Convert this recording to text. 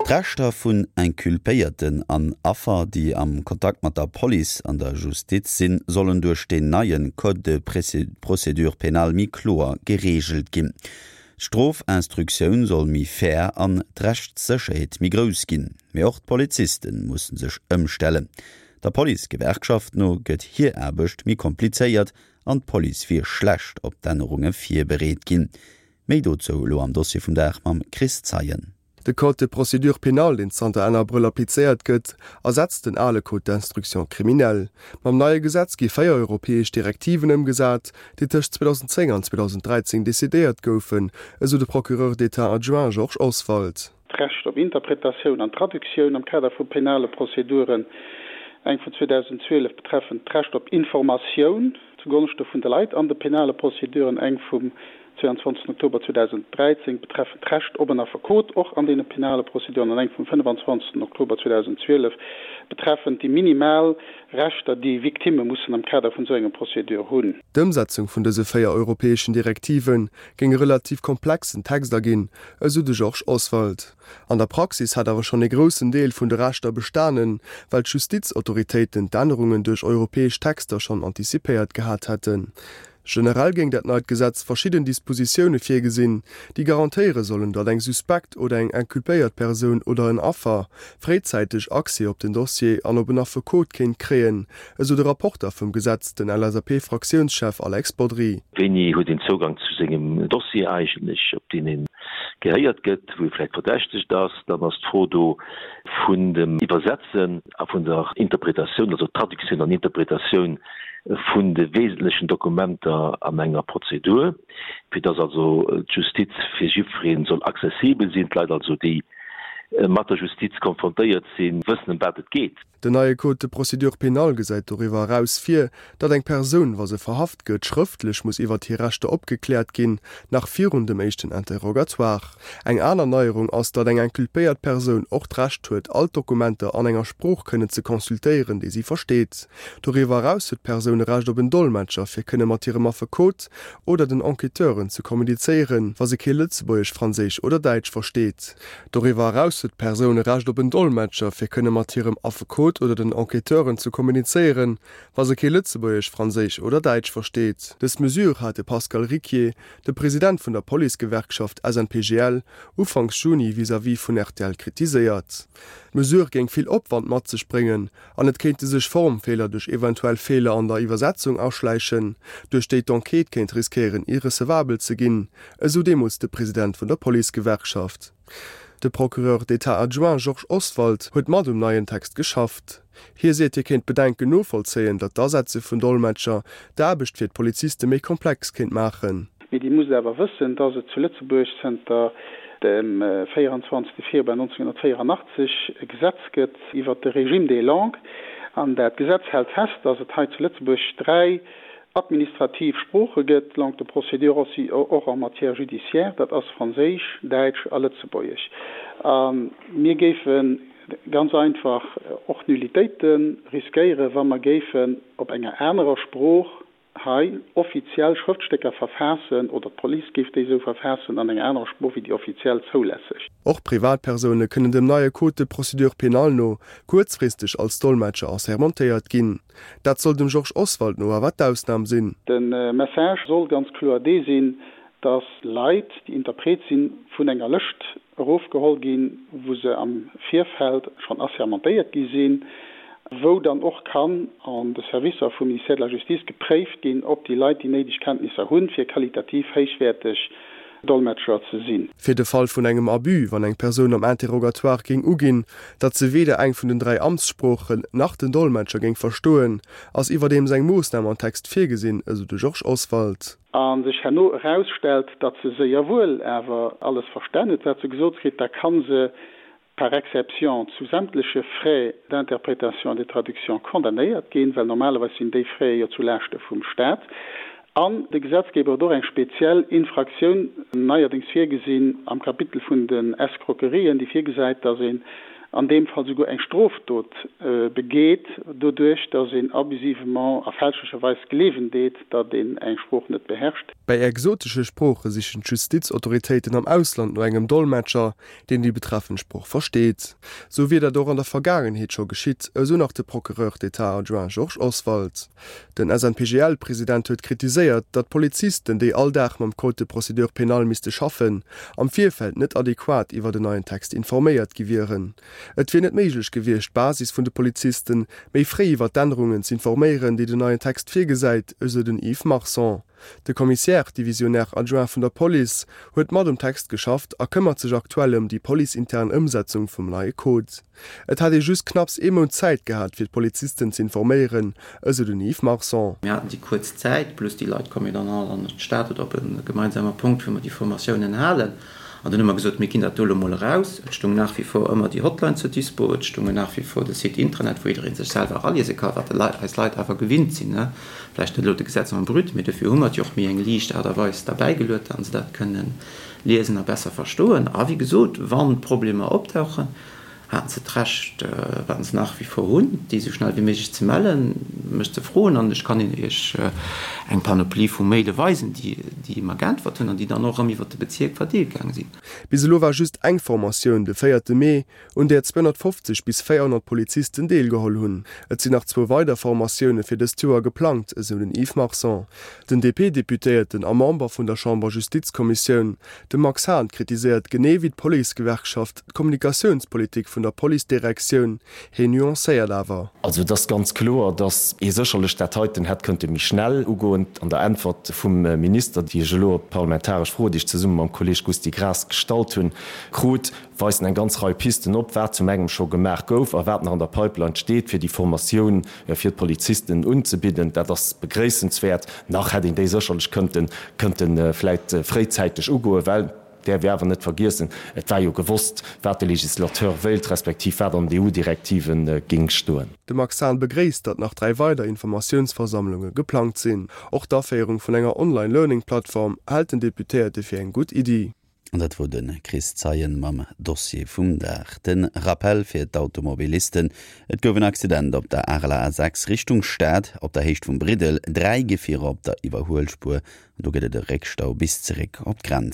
D'Rechter vun Inculpéierten an Affer, déi am Kontakt mat der Police an der Justiz sinn, sollen duerch deen neie Code de procédure pénale méi kloer gereegelt ginn. D'Strofinstruktioun soll méi fair an d'Rechtssécherheet méi grouss ginn. Mee och d'Poliziste musse sech ëmstellen. Der Policegewerkschaft no gëtt hir Aarbecht méi komplizéiert an d'Police wier schlecht op d'Ännerunge virbereet ginn. Méi dozou elo am Dossier vum Dag mam Chris Zeien. De Code de procédure pénale, deen zanter Enn Abrëll applizéiert gëtt, ersetzt den ale Code d'instruction criminelle. Mam neie Gesetz gi 4 europäesch Direktiven ëmgesat, déi tëscht 2010 an 2013 decidéiert goufen, esou de Procureur d'État adjoint Georges Oswald. d'Recht op Interpretatioun an Traductioun am Kader vu penale Prozeduren, eng vun 2012 betreffend d'Recht op Informatioun zugonschte vun de Leit an de penale Prozeduren, eng vum 22 Oktober 2013 betreffend d'Recht op en Affekot och an deene penale Prozeduren an eng vum 25 Oktober 2012 betreffend déi minimal Rechter, déi Victimme mussen am Kader vun esou enger Procédure hunn. D'Ëmsetzung vun dëse 4 europäeschen Direktive géing e relativ komplexen Text erginn, esou de Georges Oswald. An der Praxis hätt awer schonn ee groussen Deel vun de Rechter bestanen, well d'Justizautoritéiten d'Ännerungen duerch europäesch Texter schonn antizipéiert gehat hätten. Generell géing dat neit Gesetz verschidden Dispositioune virgesinn, déi garantéiere sollen, datt eng suspekt oder eng inculpéiert Persoun oder en Affer fréizäiteg Accès op den Dossier an op en Affekot kéint kréien, esou de Rapporter vum Gesetz, den LSAP-Fraktiounschef Alex Bodry. Wéini huet een Zougang zu sengem Dossier eigentlech, op deen ee gehéiert gëtt, wou ee vläicht verdächtegt ass? Dann ass d'Fro do vun dem Iwwersetzen a vun der Interpretatioun, also Traductioun an Interpretatioun vun de wesentlechen Dokumenter an enger Prozedur, fir dass also d'Justiz fir jiddweree soll accessibel sinn, d'Leit also, déi mat der Justiz konfrontéiert sinn, wëssen, ëm wat et geet. Den neie Code de procédure pénale gesäit doriwwer eraus vir, datt eng Persoun, wa se verhaft gëtt, schrëftlech muss iwwert hir Rechter opgekläert ginn, nach virun dem éischten Interrogatoire. Eng aner Neierung ass, datt eng inculpéiert Persoun och d'Recht huet, all d'Dokumenter an enger Sprooch kënnen ze consultéieren, déi si versteet. Doriwwer eraus huet d'Persoun e Recht op en Dolmetscher, fir kënne mat hirem Affekot oder den Enquêteuren ze kommunizéieren, wa se kee Lëtzebuergesch, Franséisch oder Däitsch versteet. Doriwwer eraus huet d'Persoun e Recht op en Dolmetscher, fir kënne mat hirem Affekot oder den Enquêteuren ze kommunizéieren, wa se kee Lëtzebuergesch, Franséisch oder Däitsch versteet. Dës Mesure hat de Pascal Ricquier, de President vun der Policegewerkschaft SNPGL, ufanks Juni vis-à-vis vun rtl kritiséiert. D'Mesure géing vill Opwand mat sech bréngen an et kéinte sech Formfeeler duerch eventuell Feeler an der Iwwersetzung aschläichen, duerch déi d'Enquête kéint riskéieren irrecevabel ze ginn, esou deemools de President vun der Policegewerkschaft. De Procureur d'État adjoint Georges Oswald huet mat um neien Text geschafft. Hie seet, hie kéint d'Bedenken novollzéien, datt d'Asetze vun Dolmetscher d'Aarbecht fir d'Poliziste méi komplex kéint maachen. Mee Dir musst awer wëssen, dass et zu Lëtzebuerg zënter dem 24. Februar 1984 e Gesetz gëtt iwwert de Régime des langues. An dat Gesetz hält fest, dass et hei zu Lëtzebuerg dräi administrativ Sprooche gëtt, langues de procédure aussi och en matière judiciaire, dat ass Franséisch, Däitsch a Lëtzebuergesch. A mir géife ganz einfach och Nullitéite riskéieren, wa mer géifen op enger anerer Sprooch hei offiziell Schrëftstécker verfaassen, oder d'Police géif déi esou verfaassen, an enger anerer Sprooch wéi déi offiziell zoulässeg. Och Privatpersoune kënnen dem neie Code de procédure pénale no kuerzfristeg als Dolmetscher assermentéiert ginn. Dat soll dem Georges Oswald no awer d'Ausnam sinn. De Message soll ganz kloer dee sinn, dass Leit, déi Interpret sinn, vun enger Lëscht erofgeholl ginn, wou se am Virfeld schonn assermentéiert gi sinn, wou dann och kann an de Servicer vum Ministère de la Justice gepréift ginn, ob déi Leit déi néideg Kenntnisser hunn, fir qualitativ héichwäerteg Dolmetscher ze sinn. Fir de Fall vun engem Abus, wann eng Persoun am Interrogatoire géing uginn, datt se weder eng vun den 3 Amtssproochen nach den Dolmetscher géing verstoen, ass iwwerdeems eng Moossnam am Text virgesinn, esou de Georges Oswald. A sech herno erausstellt, datt se séier wuel awer alles verstan huet, wat se gesot kritt, da ka se par exception zu sämtleche Frais d'interprétation et de traduction condamnéiert ginn, well normalerweis sinn déi Fraie jo zu Laaschte vum Stat. An de Gesetzgeber huet och eng speziell Infraktioun neierdéngs virgesinn am Kapitel vun den Escroquerien, déi virgesäit, datt een. an deem Fall souguer eng Strofdot begeet, doduerch datt een abusivement a fälschlecherweis gleewen deet, datt een eng Sprooch net beherrscht. Bei exotesche Sprooche sichen d'Justizautoritéiten am Ausland no engem Dolmetscher, deen déi betreffend Sprooch versteet. Sou wier dat och an der Vergaangenheet scho geschitt, esou nach de Procureur d'État adjoint Georges Oswald. Den SNPGL-President huet kritiséiert, datt d'Polizisten, déi all Dag mam Code de procédure pénale misste schaffen, am Virfeld net adequat iwwer en neien Text informéiert gi wieren. Et wier net méiglech gewiescht, d'Basis vun de Polizisten méi fréi iwwer d'Ännerungen z'informéieren, déi den neien Text virgesäit, esou den Yves Marson. De Commissaire divisionnaire adjoint vun der Police huet mat um Text geschafft a këmmert sech aktuell ëm déi policeintern Ëmsetzung vum neie Code. Et hätt ee just knapps ee Mount Zäit gehat, fir d'Polizisten z'informéieren, esou den Yves Marson. Mir haten déi kuerz Zäit, plus déi Leit komme jo dann all an d'Stad oder op e gemeinsame Punkt, wou mer déi Formatiounen halen. An dunn hu mer gesot, mir ginn dat do elo mol eraus. Et stoung nach wie vor ëmmer déi Hotline zur Dispo, et stounge nach wie vor de Site Intranet, wou jidderee sech selwer eraliese ka, wat eis Leit awer gewinnt sinn. Vläicht net elo de Gesetz en brut, mee dofir hu mer et jo och méi eng liicht Aart a Weis derbäigeluet, datt se dat kënnen liesen a besser verstoen. A wéi gesot, wa Problemer optauchen, haten se d'Recht, wat se nach wie vor hunn, déi esou schnell wéi méiglech ze mellen, mech ze froen, an ech kann Iech eng Panoplie vu Maile weisen, déi mer geäntwert hunn an déi dann och erëm iwwert de Bezierk verdeelt gaange sinn. Bis elo war just eng Formatioun, de véierte Mee, un där 250 bis 400 Polizisten deelgeholl hunn. Et sinn nach zwou weider Formatioune fir dëst Joer geplangt, esou den Yves Marson. Den DP-Deputéierten a Member vun der Chamber-Justizkommissioun, de Max Hahn, kritiséiert genee wéi d'Policegewerkschaft D'Kommunikatiounspolitik vun der Policedirektioun, heen nuancéiert awer. Also et ass ganz kloer, datt ee sécherlech dat heiten hätt kënnte méi schnell ugoen. An der Äntwert vum Minister, déi ech elo op d'parlamentaresch Fro, déi ech zesumme mam Kolleeg Gusty Graas gestallt hunn, krut, weist en eng ganz Rei Pisten op, wat zum engem scho gemaach gouf a wat nach an der Pipeline steet, fir déi Formatioun fir d'Polizisten unzebidden. Dat ass begréissenswäert. Nach hätt een déi sécherlech kënnten, kënnte vläicht fréizäiteg ugoen, well, Däerf ee awer net vergiessen, et war jo gewosst, wat de Législateur wéilt, respektiv wat an den EU-Direktive géing stoen. De Max Hahn begréisst, datt nach 3 weider Informatiounsversammlunge geplangt sinn. Och d'Aféierung vun enger Online-Learning-Plattform hält den Deputéierte fir eng gutt Iddi. An dat wor de Chris Zeien mam Dossier vum Dag. De Rappel fir d'Automobilisten, Et gouf en Accident op der Areler A6 Richtung Stad, op der Héicht vum Briddel. 3 Gefierer op der Iwwerhuelspuer An do gëtt et e Réckstau bis zeréck op d'Grenz.